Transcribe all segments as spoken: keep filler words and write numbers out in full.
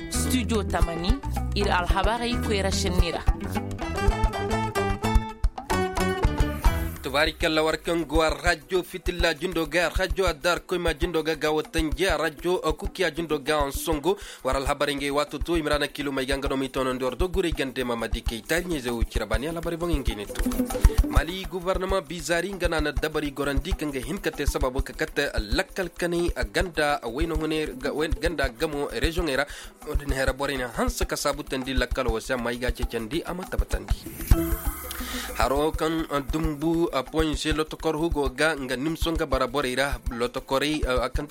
Studio tamani, ir alhabarey koyra šenni ra. Tubaari kalla war kaŋ go a rajo fitilla jindo ga a rajo a daar koyma jindo ga ga watanji a rajo kukiya jindo ga a songo. War alhabarey ngey waato to imrana kilo may ga nga no ma i toonandi war do guray gande ma ma di kay taari ɲayze wo cira baani alhabarey boŋ ngey ne to. Mali guvarnama bizari nga na na dabari gorandi kaŋ ga hin ka te sababu ka kate lakkal kanay ganda wayna hune ganda gamo reziyoŋey ra. Wo-din hera borey na hanse ka saabutandi lakkal wo se amma i ga a ceecandi a ma tabbatandi. Haro kaŋ dumbu poɲ se lotokor hugo ga nga nimso nga bara borey ra. Lotokorey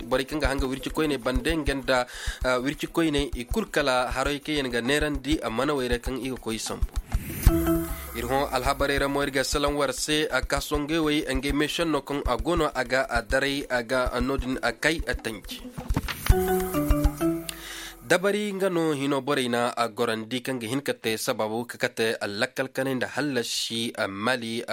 borey kaŋ ga hanga wirci koyney bande nga nda wirci koyney i kul kala haroy kaŋ yaŋ ga neerandi manawey ra kaŋ i ga koy sambu. Ir hõ alhabarey ra mo ir ga salaŋ war se. Kaasongey wey ngey meešenno kaŋ a go no a ga daray a ga no-din kay tanji. Dabari nga no hino borey na a gorandi kaŋ ga hin ka te sababu ka kate lakkal kanay nda hallasi mali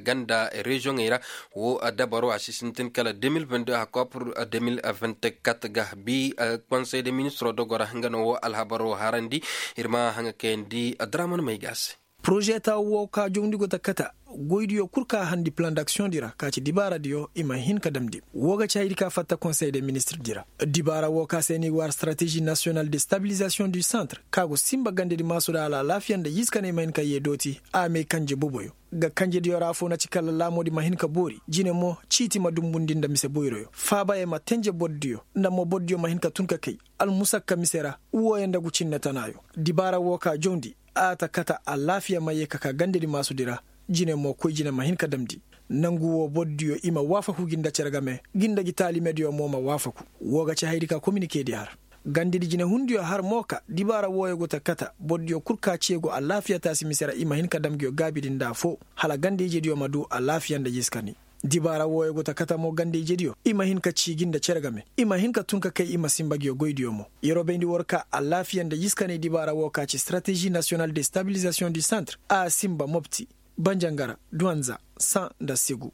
ganda reziyoŋey ra. Wo dabaro a si sintin kala deux mille vingt-deux a koy pur deux mille vingt-quatre ga bi konsey de ministro dogora nga no wo alhabaro harandi. Ir ma haŋa kayandi draman may ga se. Poroze taawo wo ka jawndi go ta kata goydiyo kul ka handi plan d'aksiyoŋ di ra ka ci dibaaradiyo i ma hin ka damndi. Wo ga ci haydi ka fatta konsey de ministir di ra. Dibaara wo ka se ni war strateji nasiyonal de stabilizasiyoŋ du santre ka go simba gandedi maasu da alaalaafiya nda yiiskaney ma hin ka yee dooti a mee kanje boboyo. Ga kanjediyo ra afoo na ci kala laamoodi ma hin ka boori jine mo ciiti ma dumbundi nda mise boyroyo faabaye ma tenje bordiyo nda mo bordiyo ma hin ka tun ka kay. Almusakka mise ra wooyo nda gu cinne tanaayo. Dibaara woo ka jawndi a ta kata alaafiya ma yee ka ka gandedi maasudi ra. Jine mo koy jine ma hin ka damndi. Nangu woo bordiyo i ma waafaku gi nda cere game gi nda gi taalimediyo mo ma waafaku. Woo ga ci hayadi ka kominikeedi har gandedi jinehundiyo har mo ka dibaara wooyo go ta kata bordiyo kul ka ceegu alaafiya taasi mise ra i ma hin ka dam nguyo gaabidi nda afoo hala ganda-ijediyo ma duu alaafiya nda jiskani. Dibaara wooyo go ta kata mo ganda-ijediyo i ma hin ka cii gi nda cere game i ma hin ka tun ka kay i ma sinba nguyo goydiyo mo. Yeroo bayndi war ka alaafiya nda jiskani dibaara woo ka ci strateji nasiyonal de stabilizasiyoŋ du santre a sinba mopti banjangara duwanza san nda segu.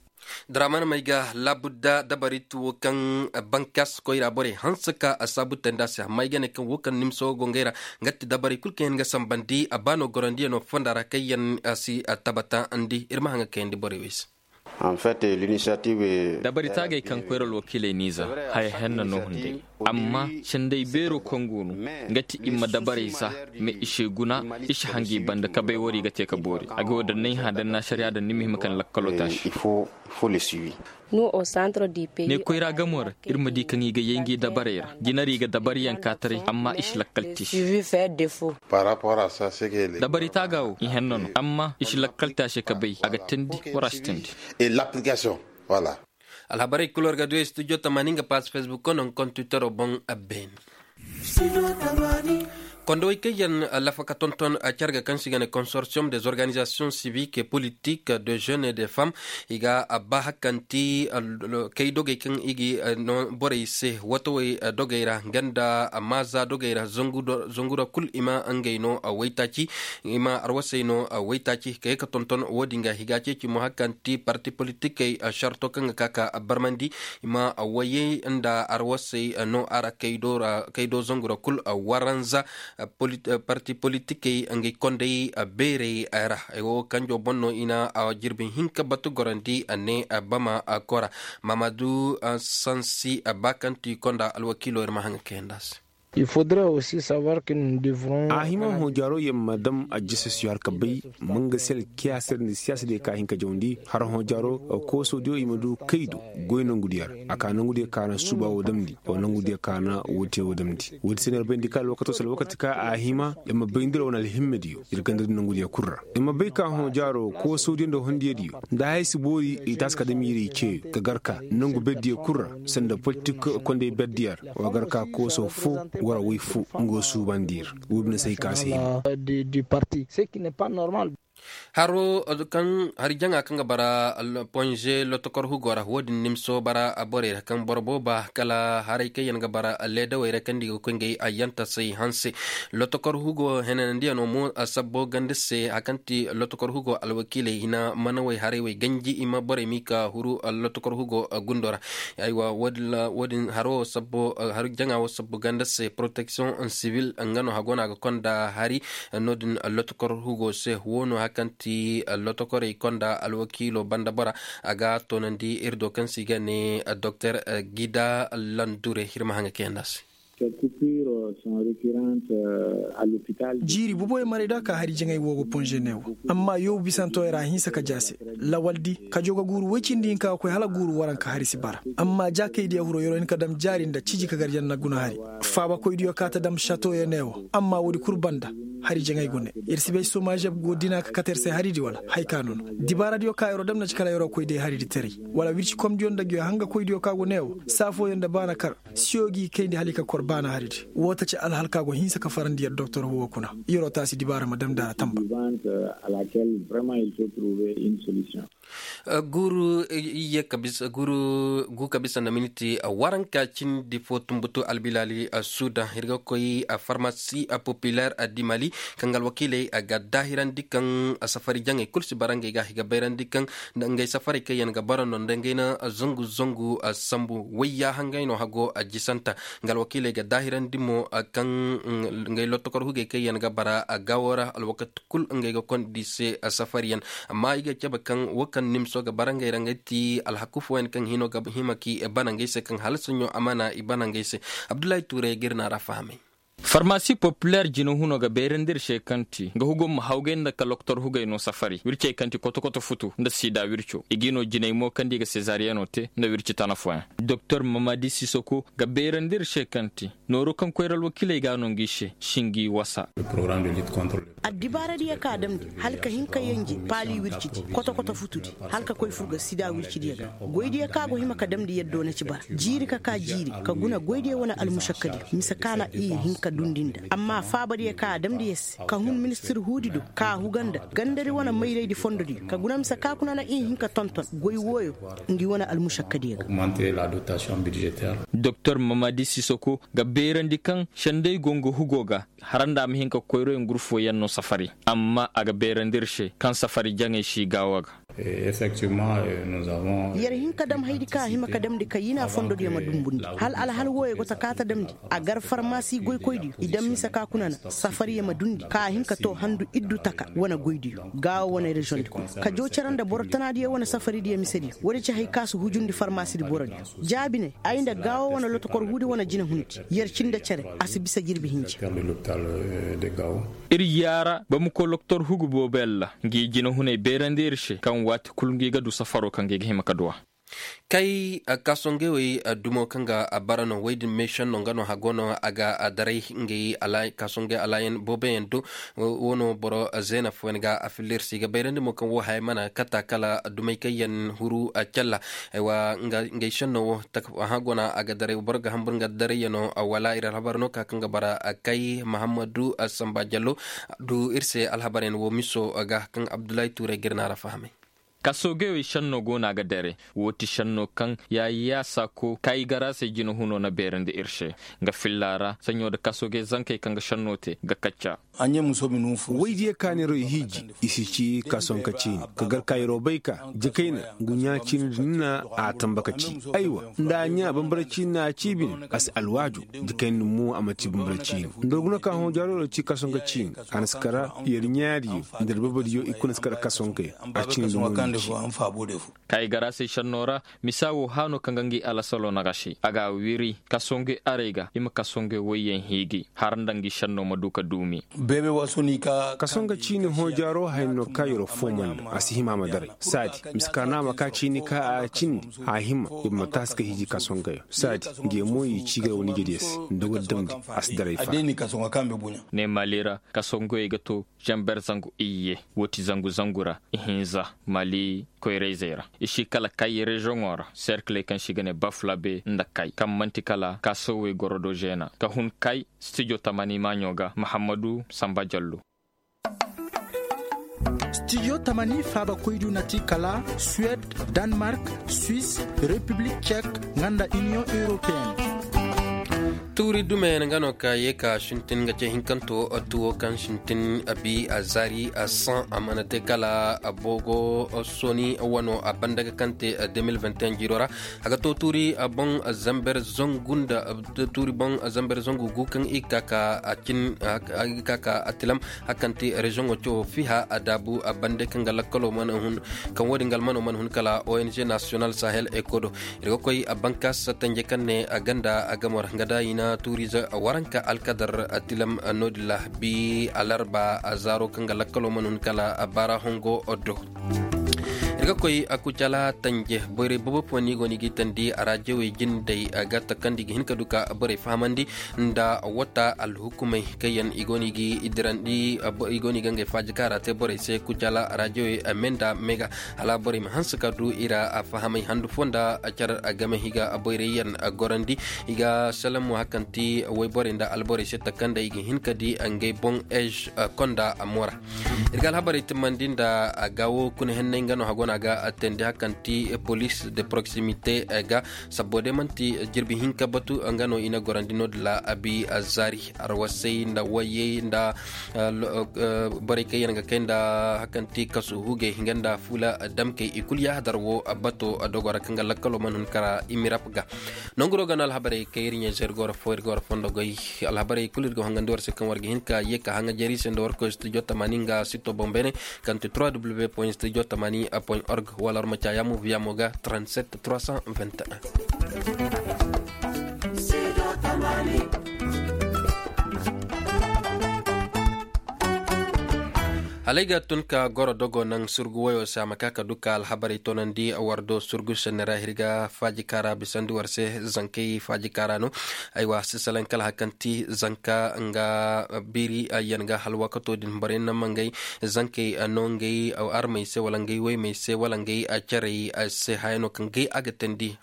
Daraman may ga laabudda dabari tuwo kaŋ bankas koyra borey hanse ka a saabu tanda se amma ay ga ne kaŋ wo kaŋ nimso go ngey ra. Nga ti dabari kul kaŋ yaŋ ga sambandi a baano gorandiyaŋo fonda ra kaŋ yaŋ si tabatandi ir ma haŋ ga kayandi borey wey se. Dabari taagey kaŋ koyra alwakiiley n'i za haya henna no hunday. Amma canday beeroo kaŋ go no nga ti i ma dabarey za. Mais i se guna i si hanga i banda kabay wari ga te ka boori a ga wo daŋ nay hã daŋ na sariya daŋ ni ma hima kaŋ lakkalo taasi. Ne koyra gamo ra ir ma di kaŋ i ga yay ngi dabarey ra jinari ga dabariyaŋ ka taray amma i si lakkal te. Dabari taaga wo i henna no amma i si lakkal te a se ka bay a ga teendi wara a si teendi. Alhabarey kul war ga du studio tamaani nga paas facebook no nga kontiwitaro boŋ. Beene kondowey kaŋ yaŋ lafa ka tonton carga kaŋ se i ga ne consortium des organisations civiques et politiques de jeunes et de femmes. I ga baa hakanti kay dogey kaŋ i ga no borey se watawey dogey ra nga nda maaza dogey ra zangu ra kul i ma ngey no waytaaci. I ma arwasey no waytaaci ka ye ka tonton wo-din ga i ga a ceeci mo hakanti parti politikey sarto kaŋ ga ka ka barmandi. I ma wayey nda arwasey no a ra kaydo zangu ra kul waranza. Parti politikey ngey kondey beerey ra. Wo kanjo boŋ no i na jirbi hinka batu gorandi ne bama kora. Mamadu sansi ba kaŋ ti konda alwakiilo ir ma haŋ ga kayandi a se. A hima hõ jaaro yaŋ ma dam ajjasasiyo har ka bay manga sel kiyaasir nda siyaasa diyo ka hin ka jawandi har hõ jaaro. Koosodiyo i ma du kaydu goy nangu diyo ra a ka nangu diyo ka na suuba wo damndi. Nangu diyo ka na woote wo damndi woodi se no ir bayndi ka alwakato se alwakati ka a hima ir ma bayndi ra wane alhimmediyo ir ganda du nangu diyo kul ra. Ir ma bay ka hõ jaaro koosodiyo nda hondiyo diyo nda haya si boori i taasi ka dam ir i ce ka gar ka nangu berdiyo kul ra sanda politik kondey berdiyo ra. Wa gar ka kooso fo wara way fo nga wo suubandi ir. Wo bine se hay ka si hima. Haro kaŋ hari jaŋa kaŋ ga bara ponze lotokor hugo ra wo- din nimso bara borey ra kaŋ boro booba kala haray kaŋ yaŋ ga bara leedawey ra kaŋ di ga koy ngey ayyantasey hanse. Lotokor hugo henanandiyano mo sabbo ganda se hari kaŋ ti lotokor hugo alwakiiley hina manawey haray wey ganji i ma borey m'i ka huru lotokor hugo gundo ra. Aywa wo- din haro wo sabbo hari jaŋa wo sabbo ganda se protection civil nga no hago no a ga konda hari no- din lotokor hugo se wo no hari kaŋ ti lotokorey konda alwakiilo banda bora. A ga toonandi iri do kaŋ se i ga ne doktor gida landure iri ma haŋa kayandi a se. Jiiri boboyaŋ maray da ka hari jaŋay wo ga ponze neewo. Amma yoobu bisantoyaŋ ra a hinsa ka ja se. Lawaldi kajo ga guuru woy cindi hinka ga koy hala guuru waranka hari si bara. Amma jaakaydiyo hiro yer'o hin ka dam jaari nda ciji ka gar janna guna hari. Faabakoydiyo ka ta dam satoyaŋ neewo amma woodi kul banda. Hari jaŋay go ne, ir si bay somazeb go dina ka kate ir se haridi wala haya ka no no. Dibaaradiyo ka yer'o dam na ci kala yer'o koy day haridi taray, wala wircikomdiyo nda nguyo hangakoydiyo ka go neewo. Saafooyaŋ nda baana kar siyo g'i kayndi hala i ka kor baana haridi. Woo ta ci alhal ka go hinsa ka farandi yer doktor huwo kuna. Yer'o taasi dibaara ma damndi a ra tamba. Guuru iyye ka bisa guuru gu ka bisa nda miniti waranka cindi fo tumbutu albilaali suuda ir ga koy farmasi populer di mali, kaŋ ga alwakiiley ga daahirandi kaŋ safari jaŋey kulu si bara ngey ga i ga bayrandi kaŋ nda ngey safarey kaŋ yaŋ ga bara no nda ngey na zangu zangu sambu wayya hangay no hago jisanta. Nga alwakiiley ga daahirandi mo kaŋ ngey lotokor hugey kaŋ yaŋ ga bara gaawo ra alwakati kul ngey ga kondi se safariyaŋ. Amma i ga cabe kaŋ wo kaŋ nimso ga bara ngey ra ngey ti alhaku fooyaŋ kaŋ hino ga hima k'i bana ngey se kaŋ hala saɲɲo amaana i bana ngey se. Abdullahi tuuray ga ir na ra fahamay. Farmasi populer jinahuno ga beerandi ir se kaŋ ti nga hugo ma hawgay nda ka loktor hugay no safari wircey kaŋ ti koto-koto futu nda sida wirco i g'i no jinay mo kaŋ di ga sezariyano te nda wirci tana fooyaŋ. Doktor mamadi sisoko ga beerandi ir se kaŋ ti nooru kaŋ koyra alwakiiley ga no ngi se si ngi wasa. Addibaaradiyo ka a damndi hala ka hin ka yenje paali wircidi koto-koto futudi hala ka koy fur ga sida wircidiyo ga. Goydiyo ka go hima ka damndi yaddo na ci bara jiiri ka ka jiiri ka guna goydiyo wane almušakkadiyo mise ka na i hin ka dundi nda amma faabadiyo ka a damndi yer se ka hun ministir huudi do ka a huga nda gandari wane mayraydi fondodiyo ka guna mise ka kuna na i hin ka tonton goy wooyo. Ngi wane almušakkadiyo ga. Doktor mamadi sisoko ga beerandi kaŋ senday go nga hugo ga haranda a ma hin ka koyroyaŋ gurfoyaŋ no safari amma a ga beerandi ir se kaŋ safari jaŋey si gaawo ga. Yer hin ka dam haydi kaŋ a hima ka damndi ka yina fondodiyo ma dumbundi hala alhal wooyo go ta ka ta damndi a gar farmasi goykoydiyo i dam mise ka kuna na safariyo ma dundi ka a hin ka to handu iddu taka wane goydiyo gaawo wane reziyoŋdi kuna ka joo cere nda boro tanaadiyo wane safaridiyo misediyo woodi ci hay ka si hujundi farmasidi borodiyo. Jaabi ne ay nda gaawo wane lotokor huudi wane jinahundi yer cindi cere a si bisa jirbi hinja. Ir yaara ba ma koy loktor hugu boobo yalla ngi jinahuney beerandi ir se kaŋ waati kul ngi ga du safaro kaŋ ngi ga hima ka du a. Kay kaasongey wey dumo kaŋ ga bara no wey din meešenno nga no hago no a ga daray ngey kaasongey alaayan booboyaŋ do. Wo no boro zeena fooyaŋ ga a filla ir se i ga bayrandi mo kaŋ wo haya mana kata kala dumey kaŋ yaŋ huru calla. Aywa ngey šenno wo hagona a ga daray boro ga hambur nga darayyaŋo wala ir alhabar no ka kaŋ ga bara kay mahammadu samba jallo. Du ir se alhabaryaŋ wo miso ga kaŋ abdullahi tuuray ga ir na ra fahamay. Kasoogey wey šenno go no a ga dare wo ti šenno kaŋ yaayaasa ko kaygara se jinahuno na beerandi ir se. Nga filla ra saɲo nda kasoogey zankey kaŋ ga šenno te ga kacca. Waydiyo kaaniroo i hiiji i si ci kasonka ciini ka gar kaayiroo bay ka jikayna ngu ɲaa ciini din na a tamba ka ci. Aywa nda a ɲaa bambara ciini na a ci bine a si alwaaju. Jikayna din mo a ma ci bambara ciini nda war guna ka hõ jaaroo ra ci kasonka ciini. A na si kara yer ɲaadiyo nda yer babadiyo i kuna si kara kasonka yer a ciini dumo ni ci. Kaayigara se šennoo ra misa woo haanoo kaŋ ga ngi alasaloo na ga se a ga a wiri kasonge arey ga i ma kasonge woyyaŋ hiiji har nda ngi šennoo ma du ka duumi. Kasonge ciini hõ jaaroo hayanoo ka yeroo foomandi a si hima a ma daray saadi mise ka no a ma ka ciini ka a cindi a hima. Yer ma taasi ka hiiji kasongeyo saadi nge mo i ciigar wane ijediyo se nda war damndi a si daray fa. Ne maali ra kasongoyey ga to zamber zangu iyye woo ti zangu zangu ra ihinza maali koyrayzey ra i si kala kay reziyoŋo ra serkiley kaŋ se i ga ne bafulabe nda kay kaŋ man'ti kala kaasowey goro do zeena ka hun kay stijo tamani maaɲo ga mahammadu samba jallo. Stijo tamani faabakoydiyo na ti kala suwed, danmark, swis, repiblik cek, nga nda iniyoŋ europeen. Tuuri dumeyaŋ nga no ka ye ka sintin nga ce hinkanto tuwo kaŋ sintin a bi a zaari a saŋ a mana te kala a boogo soni wano a banda ga kaŋ te deux mille vingt et un jiiro ra. A ga to tuuri boŋ zamber zangu nda tuuri boŋ zamber zangu gu kaŋ i ga ka ka a tilam. Hakanti reziyoŋo cawo fiha a daabu a bande kaŋ ga lakkalo mana hun kaŋ wo-din ga almano mana hun kala ong national sahel ecodo. Ir ga koy a bankas tanje kaŋ ne a ganda a gamor nga da i na tuurize waranka alkadar a tilam. No-din ra bi alarba a zaaro kaŋ ga lakkalo mana hun kala a baara hongo do. Ir ga koy a kucala tanje boyray boobo fo no i go no i ga i tandi a raajewey jindey ga takandi ga hin ka du ka boray fahamandi nda wata alhukumey kaŋ yaŋ i go no i ga i dirandi. I go no i ga ngey faaji kaara te borey se kucala raajewey me nda me ga hala borey ma hanse ka du i ra a fahamay handu fo nda car game i ga boyray yaŋ gorandi. I ga salam mo hakanti wayborey nda alborey se takanda i ga hin ka di ngey boŋ ej konda mo ra. Ir ga alhabarey timmandi nda a ga wo kuna henney nga no hago no a ga teendi hakanti police de proximité ga sabbo day man'ti jirbi hinka batu nga no i na gorandi no-din ra a bi a zaari arwasay nda wayey nda borey kaŋ yaŋ ga kay nda hakanti kasu hugey nga nda fuula damkey i kulu yaahadar wo bato dogo ra kaŋ ga lakkalo mana hun kara imirap ga. Nonguro ga no alhabarey kaŋ ir ɲayze ir go ra fo ir go ra fondo goy. Alhabarey kulu ir ga hongandi war se kaŋ war ga hin ka ye ka haŋa jeri se nda war koy studio tamani nga sito boŋ beene. Kaŋ ti trois w point studio tamani point org wala war ma caa yaamu viyamo ga trente sept trois cent vingt et un. Hala ay ga tun ka goro dogo naŋ surgu wayo se a ma ka ka du ka alhabarey toonandi war do surgu senne ra ir ga faaji kaara bisandi war se. Zankey faaji kaara no. Aywa si salaŋ kala hari kaŋ ti zanka nga biiri yaŋ ga hala waakato din borey na ma ngey zankey no ngey armey se wala ngey woymey se wala ngey carey se haya no kaŋ gay a ga teendi.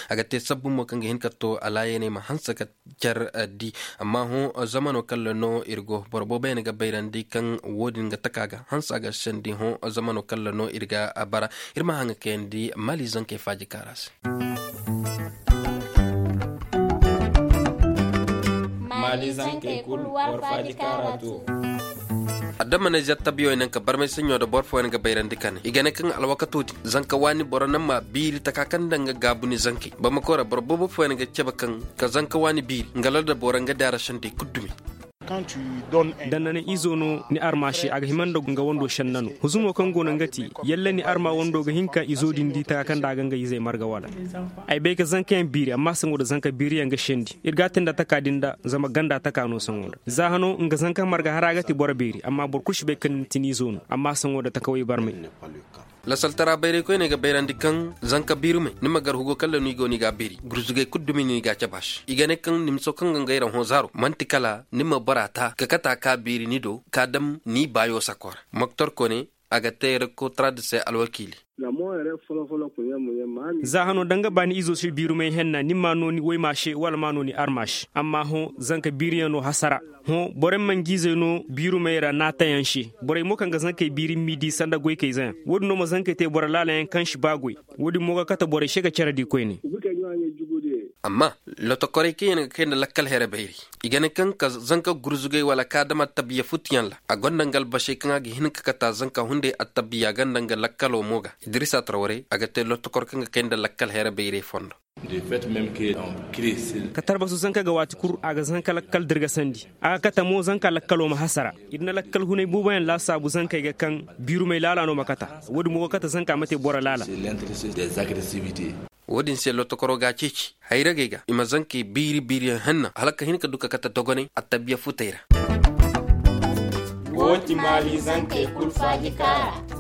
A ga te sabbu mo kaŋ ga hin ka to alaayaney ma hanse ka car di. Amma hõ zamano kaŋ ra no ir go boro boobo yaŋ ga bayrandi kaŋ wo-din ga taka ga hanse a ga sendi hõ zamano kaŋ ra no ir ga bara. Ir ma haŋa kayandi maali zankey faaji kaara se. Maali zankey kulu war faaji kaara to. Adama na ize attabiyo yaŋ ka barmay saɲɲo da boro fooyaŋ ga bayrandi kane i ga ne kaŋ alwakato din zanka waani boro naŋ ma biiri taka kaŋ nda nga gaabu ni zankey boro ma koy ra boro boobo fooyaŋ ga cabe kaŋ ka zanka waani biiri nga lal da boro nga daara sendey kulu dumi. Da na ni izo no ni armaše a ga hima nda nga wando senne no huzumo kaŋ go no nga ti yalla ni arma wando ga hin ka izo din di taka kaŋ nda a ga nga izey marga wala. Ay bay ka zankayaŋ biiri amma saŋo nda zanka biiriyaŋ ga sendi ir ga a te nda taka din da zama ganda taka no saŋo nda za hano nga zanka marga hara ga ti boro beeri amma boro kulu si bay kaŋ ni ti ni izo no amma saŋo nda takawey barmay. Lasaltara bayray koyney ga bayrandi kaŋ zanka biirumey ni ma gar hugo kaŋ ra no i go no i ga a beeri gurzugey kulu dumi no i ga a cabe a se i ga ne kaŋ nimso kaŋ ga nga ira hõ zaaro man'ti kala ni ma bora ta ka kata ka beeri ni do ka dam ni baayo sako ra. Moktor kone a ga te rekotara di se alwakiili. Za hano da nga ba ni izo si biirumey henna ni ma no ni woyma se wala ma no ni arma se amma hõ zanka biiriyaŋ no hasara. Hõ borey ma ngi izey no biirumey ra naatayaŋ se borey mo kaŋ ga zankey biiri m'i di sanda goykayzeyaŋ wo-din no ma zankey te boro laalayaŋ kaŋ si ba goy. Wo-din mo ga kate borey se ga care di koyne. Amma lotokorey kaŋ yaŋ ga kay nda lakkal here bayray i ga ne kaŋ ka zanka gurzugay wala ka dam attabiya futtuyaŋ ra a gonda nga albasey kaŋ a ga hin ka kate a zanka hunday attabiya ganda nga lakkalo mo ga. Idirisa tarwaray a ga te lotokor kaŋ ga kay nda lakkal here bayray fondo. Ka tarbasu zanka ga waati kul a ga zanka lakkal dirgasandi a ga kate mo zanka lakkalo ma hasara. Ir na lakkal hunay booboyaŋ laasaabu zankey ga kaŋ biirumey laala no ma kate. Wo-din mo ga kate zanka ma te boro laala. Wo-din se lotokoro ga a ceeci hayragey ga i ma zankey biiri biiriyaŋ henna hala ka hin ka du ka kate dogonay attabiya futey ra. Wo ti maali zankey kul faaji kaara.